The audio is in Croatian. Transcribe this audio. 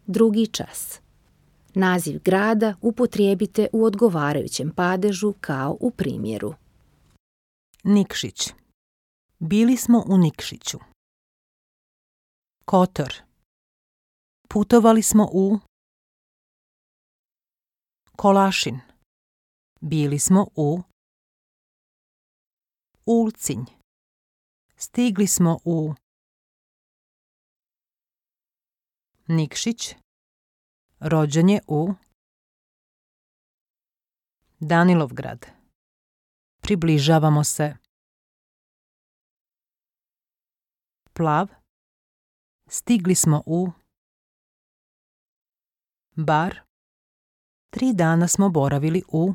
drugi čas. Naziv grada upotrijebite u odgovarajućem padežu kao u primjeru. Nikšić. Bili smo u Nikšiću. Kotor. Putovali smo u Kolašin. Bili smo u Ulcinj. Stigli smo u Nikšić. Rođen je u Danilovgrad. Približavamo se. Plav. Stigli smo u Bar. 3 dana smo boravili u